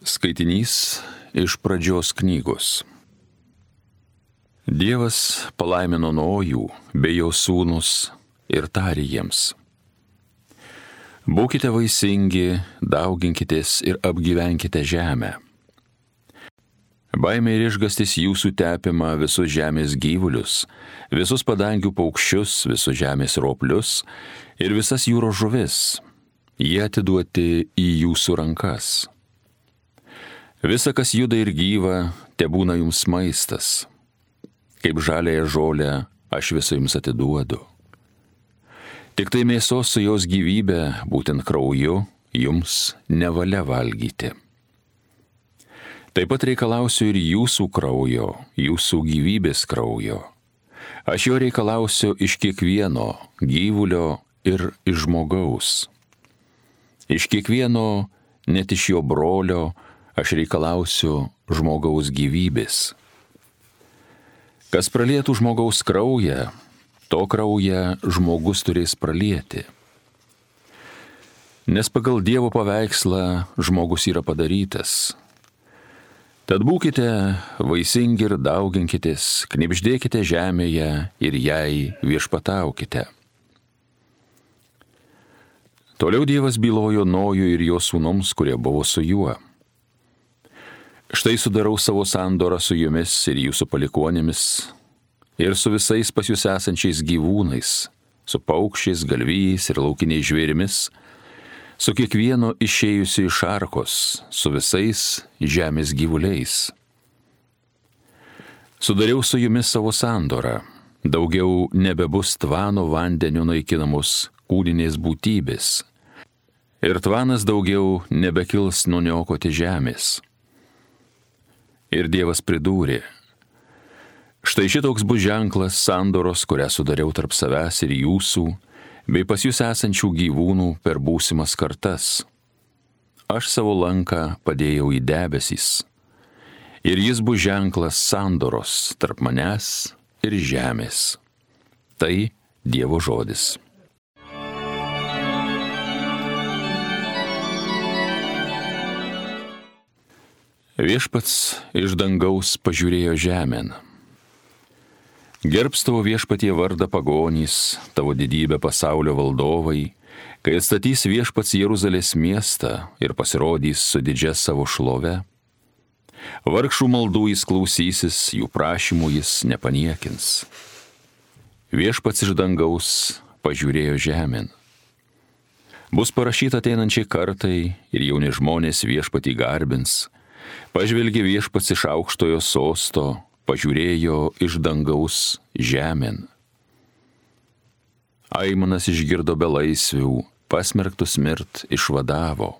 Skaitinys iš Pradžios knygos. Dievas palaimino Nojų bei jo sūnus ir tarė jiems: Būkite vaisingi, dauginkitės ir apgyvenkite žemę. Baimė ir išgastis jūsų tepima visus žemės gyvulius, visus padangių paukščius, visus žemės roplius ir visas jūros žuvis. Jie atiduoti į jūsų rankas. Visa, kas juda ir gyva, tebūna jums maistas. Kaip žaliąją žolę aš visą jums atiduodu. Tik tai mėsos su jos gyvybė, būtent krauju, jums nevalia valgyti. Taip pat reikalausiu ir jūsų kraujo, jūsų gyvybės kraujo. Aš jo reikalausiu iš kiekvieno gyvulio ir iš žmogaus. Iš kiekvieno, net iš jo brolio, aš reikalausiu žmogaus gyvybės. Kas pralietų žmogaus kraują, to kraują žmogus turės pralieti. Nes pagal Dievo paveikslą žmogus yra padarytas. Tad būkite vaisingi ir dauginkitės, knibždėkite žemėje ir jai viešpataukite. Toliau Dievas bylojo Nojui ir jo sūnums, kurie buvo su juo. Štai sudarau savo sandorą su jumis ir jūsų palikuonėmis, ir su visais pas jūs esančiais gyvūnais, su paukščiais, galvijais ir laukiniais žvėrimis, su kiekvieno išėjusiu iš arkos, su visais žemės gyvuliais. Sudariau su jumis savo sandorą, daugiau nebebus tvano vandeniu naikinamos kūninės būtybės, ir tvanas daugiau nebekils nuniokoti žemės. Ir Dievas pridūrė: Štai šitoks bus ženklas sandoros, kurią sudariau tarp savęs ir jūsų, bei pas jūs esančių gyvūnų per būsimas kartas. Aš savo lanką padėjau į debesys, ir jis bus ženklas sandoros tarp manęs ir žemės. Tai Dievo žodis. Viešpats iš dangaus pažiūrėjo žemėn. Gerbs tavo viešpatie vardą pagonys, tavo didybę pasaulio valdovai, kai atstatys viešpats Jeruzalės miestą ir pasirodys su didžia savo šlove. Vargšų maldų jis klausysis, jų prašymų jis nepaniekins. Viešpats iš dangaus pažiūrėjo žemėn. Bus parašyta ateinančiai kartai ir jauni žmonės viešpatį garbins. Pažvelgė viešpats iš aukštojo sosto, pažiūrėjo iš dangaus žemėn. Aimanas išgirdo belaisvių, pasmerktus mirt išvadavo.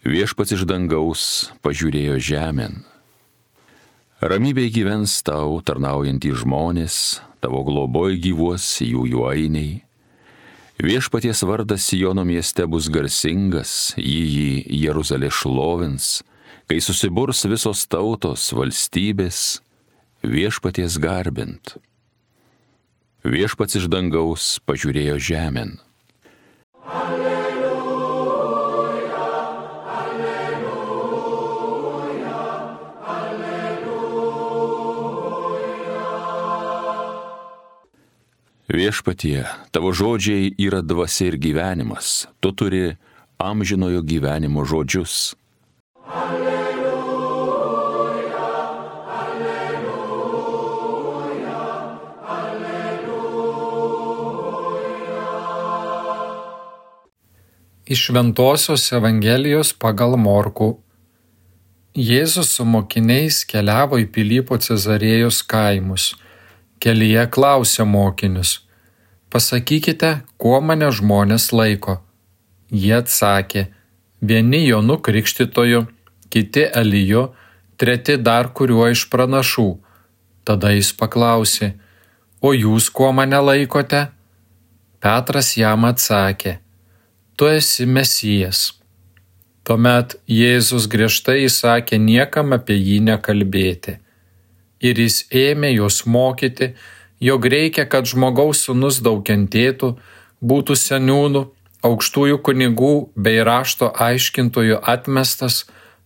Viešpats iš dangaus pažiūrėjo žemėn. Ramybėj gyvens tau tarnaujantys žmonės, tavo globoj gyvuos jų ainiai. Viešpaties vardas Siono mieste bus garsingas, jį Jeruzalė šlovins, kai susiburs visos tautos, valstybės, viešpaties garbint. Viešpats iš dangaus pažiūrėjo žemėn. Alleluja, alleluja, alleluja. Viešpatie, tavo žodžiai yra dvasia ir gyvenimas, tu turi amžinojo gyvenimo žodžius. Iš Šventosios Evangelijos pagal Morkų. Jėzus su mokiniais keliavo į Pilypo Cezarėjos kaimus. Kelyje klausė mokinius: Pasakykite, kuo mane žmonės laiko? Jie atsakė: vieni Jonu Krikštytoju, kiti Eliju, treti dar kuriuo iš pranašų. Tada jis paklausė: O jūs kuo mane laikote? Petras jam atsakė: Tu esi Mesijas. Tuomet Jėzus griežtai įsakė niekam apie jį nekalbėti. Ir jis ėmė juos mokyti, jog reikia, kad žmogaus sūnus daug kentėtų, būtų seniūnų, aukštųjų kunigų bei rašto aiškintojų atmestas,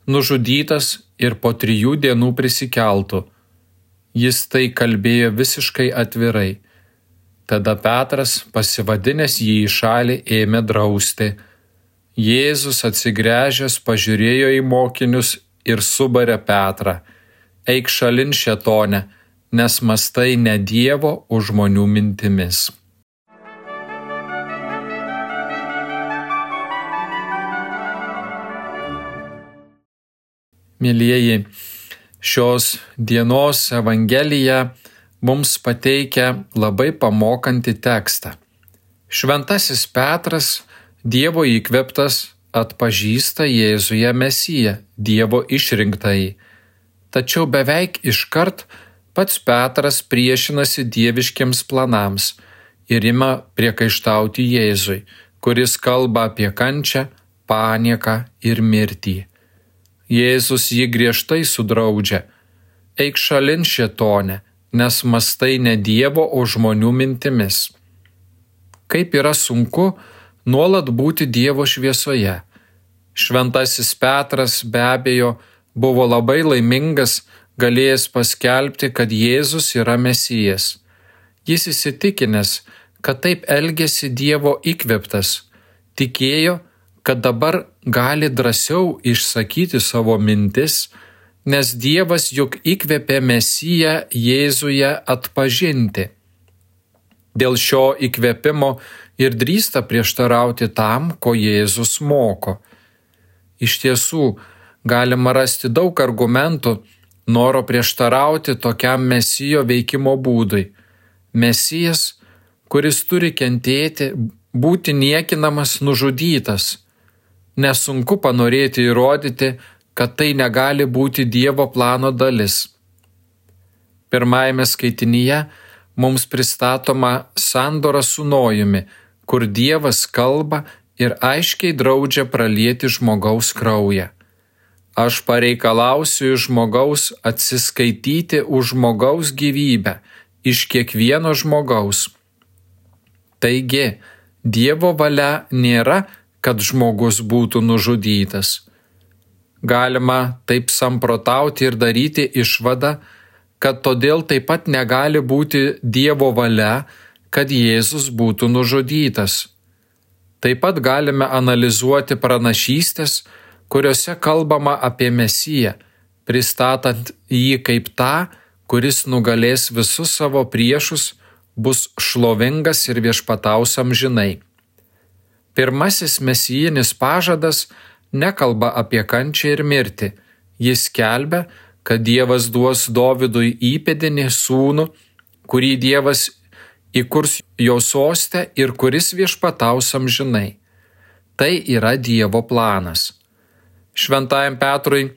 nužudytas ir po 3 dienų prisikeltų. Jis tai kalbėjo visiškai atvirai. Tada Petras, pasivadinęs jį į šalį, ėmė drausti. Jėzus atsigręžęs pažiūrėjo į mokinius ir subarė Petrą: eik šalin, šėtone, nes mąstai ne Dievo, o žmonių mintimis. Mielieji, šios dienos Evangelija mums pateikia labai pamokantį tekstą. Šventasis Petras, Dievo įkvėptas, atpažįsta Jėzuje Mesiją, Dievo išrinktąjį. Tačiau beveik iškart pats Petras priešinasi dieviškiams planams ir ima priekaištauti Jėzui, kuris kalba apie kančią, panieką ir mirtį. Jėzus jį griežtai sudraudžia: eik šalin, šėtone, nes mąstai ne Dievo, o žmonių mintimis. Kaip yra sunku nuolat būti Dievo šviesoje. Šventasis Petras be abejo buvo labai laimingas, galėjęs paskelbti, kad Jėzus yra Mesijas. Jis įsitikinęs, kad taip elgėsi Dievo įkvėptas, tikėjo, kad dabar gali drąsiau išsakyti savo mintis, nes Dievas juk įkvėpė Mesiją Jėzuje atpažinti. Dėl šio įkvėpimo ir drįsta prieštarauti tam, ko Jėzus moko. Iš tiesų, galima rasti daug argumentų noro prieštarauti tokiam Mesijo veikimo būdui. Mesijas, kuris turi kentėti, būti niekinamas, nužudytas. Nesunku panorėti įrodyti, kad tai negali būti Dievo plano dalis. Pirmajame skaitinyje mums pristatoma sandora su Nojumi, kur Dievas kalba ir aiškiai draudžia pralieti žmogaus kraują. Aš pareikalausiu iš žmogaus atsiskaityti už žmogaus gyvybę, iš kiekvieno žmogaus. Taigi, Dievo valia nėra, kad žmogus būtų nužudytas. Galima taip samprotauti ir daryti išvadą, kad todėl taip pat negali būti Dievo valia, kad Jėzus būtų nužudytas. Taip pat galime analizuoti pranašystės, kuriuose kalbama apie Mesiją, pristatant jį kaip tą, kuris nugalės visus savo priešus, bus šlovingas ir viešpataus amžinai. Pirmasis mesijinis pažadas nekalba apie kančią ir mirtį. Jis skelbia, kad Dievas duos Dovydui įpėdinį sūnų, kurį Dievas įkurs jo soste ir kuris viešpataus amžinai. Tai yra Dievo planas. Šventajam Petrui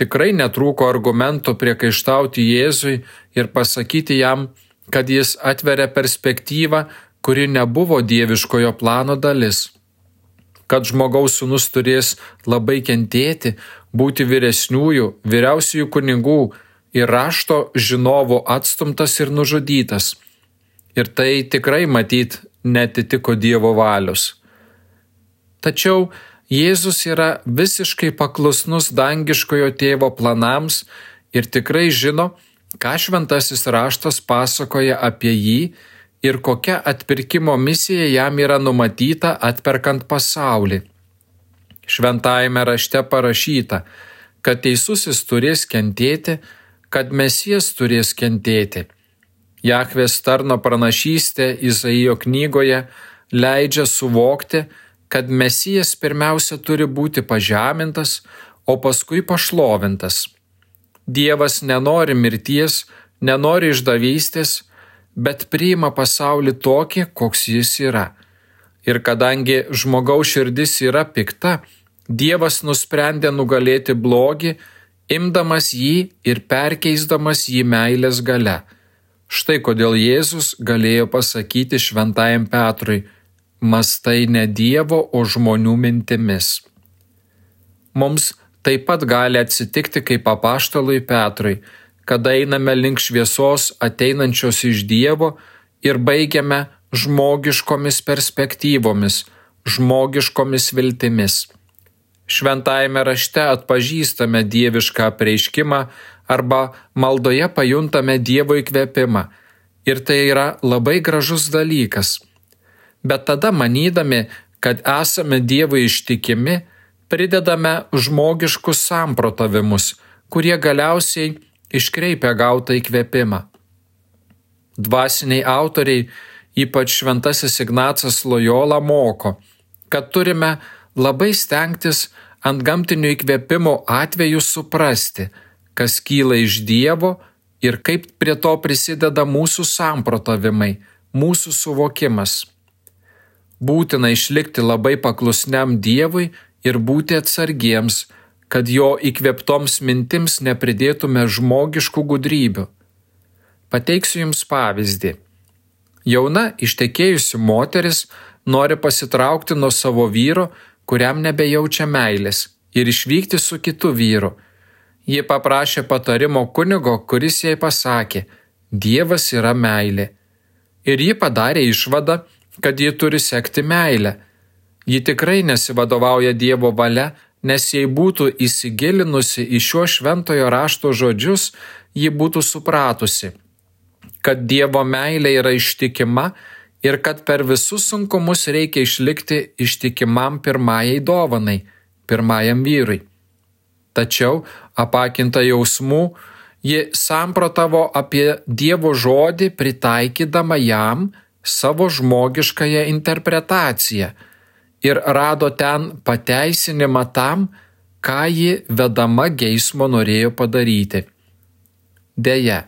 tikrai netrūko argumentų priekaištauti Jėzui ir pasakyti jam, kad jis atveria perspektyvą, kuri nebuvo dieviškojo plano dalis. Kad žmogaus sūnus turės labai kentėti, būti vyriausiųjų kunigų ir rašto žinovų atstumtas ir nužudytas. Ir tai tikrai matyt netitiko Dievo valios. Tačiau Jėzus yra visiškai paklusnus dangiškojo tėvo planams ir tikrai žino, ką šventasis raštas pasakoja apie jį ir kokia atpirkimo misija jam yra numatyta atperkant pasaulį. Šventajame rašte parašyta, kad teisusis turės kentėti, kad Mesijas turės kentėti. Jahvės tarno pranašystė Izaijo knygoje leidžia suvokti, kad Mesijas pirmiausia turi būti pažemintas, o paskui pašlovintas. Dievas nenori mirties, nenori išdavystės, bet priima pasaulį tokį, koks jis yra. Ir kadangi žmogaus širdis yra pikta, Dievas nusprendė nugalėti blogį, imdamas jį ir perkeisdamas jį meilės galia. Štai kodėl Jėzus galėjo pasakyti šventajam Petrui: mąstai ne Dievo, o žmonių mintimis. Mums taip pat gali atsitikti kaip apaštalui Petrui, kada einame link šviesos ateinančios iš Dievo ir baigiame žmogiškomis perspektyvomis, žmogiškomis viltimis. Šventajame rašte atpažįstame dievišką apreiškimą arba maldoje pajuntame Dievo įkvėpimą. Ir tai yra labai gražus dalykas. Bet tada, manydami, kad esame Dievui ištikimi, pridedame žmogiškus samprotavimus, kurie galiausiai iškreipia gautą įkvėpimą. Dvasiniai autoriai, ypač Šventasis Ignacas Lojola, moko, kad turime labai stengtis ant gamtinių įkvėpimų atveju suprasti, kas kyla iš Dievo ir kaip prie to prisideda mūsų samprotavimai, mūsų suvokimas. Būtina išlikti labai paklusniam Dievui ir būti atsargiems, kad jo įkvėptoms mintims nepridėtume žmogiškų gudrybių. Pateiksiu jums pavyzdį. Jauna ištekėjusi moteris nori pasitraukti nuo savo vyro, kuriam nebejaučia meilės, ir išvykti su kitu vyru. Ji paprašė patarimo kunigo, kuris jai pasakė: Dievas yra meilė. Ir ji padarė išvadą, kad ji turi sekti meilę. Ji tikrai nesivadovauja Dievo valia, nes jei būtų įsigilinusi į šio šventojo rašto žodžius, ji būtų supratusi, kad Dievo meilė yra ištikima ir kad per visus sunkumus reikia išlikti ištikimam pirmajai dovanai, pirmajam vyrui. Tačiau, apakinta jausmų, ji samprotavo apie Dievo žodį, pritaikydama jam savo žmogiškąją interpretaciją ir rado ten pateisinimą tam, ką ji vedama geismo norėjo padaryti. Deja,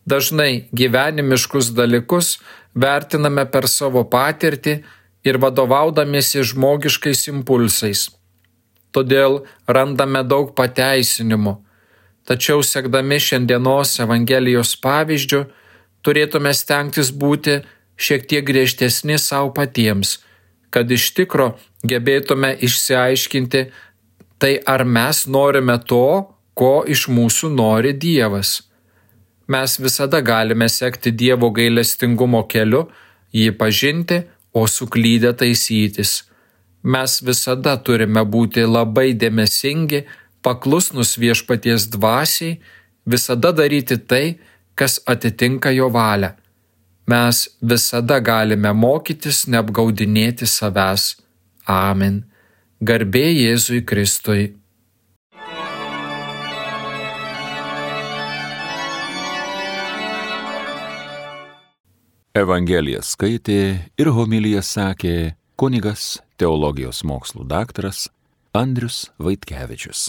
dažnai gyvenimiškus dalykus vertiname per savo patirtį ir vadovaudamiesi žmogiškais impulsais. Todėl randame daug pateisinimų. Tačiau sekdami šiandienos Evangelijos pavyzdžiu, turėtume stengtis būti šiek tiek griežtesni savo patiems, kad iš tikro gebėtume išsiaiškinti, tai ar mes norime to, ko iš mūsų nori Dievas. Mes visada galime sekti Dievo gailestingumo keliu, jį pažinti, o suklydę taisytis. Mes visada turime būti labai dėmesingi, paklusnus Viešpaties dvasiai, visada daryti tai, kas atitinka jo valią. Mes visada galime mokytis neapgaudinėti savęs. Amen. Garbė Jėzui Kristui. Evangeliją skaitė ir homiliją sakė kunigas teologijos mokslų daktaras Andrius Vaitkevičius.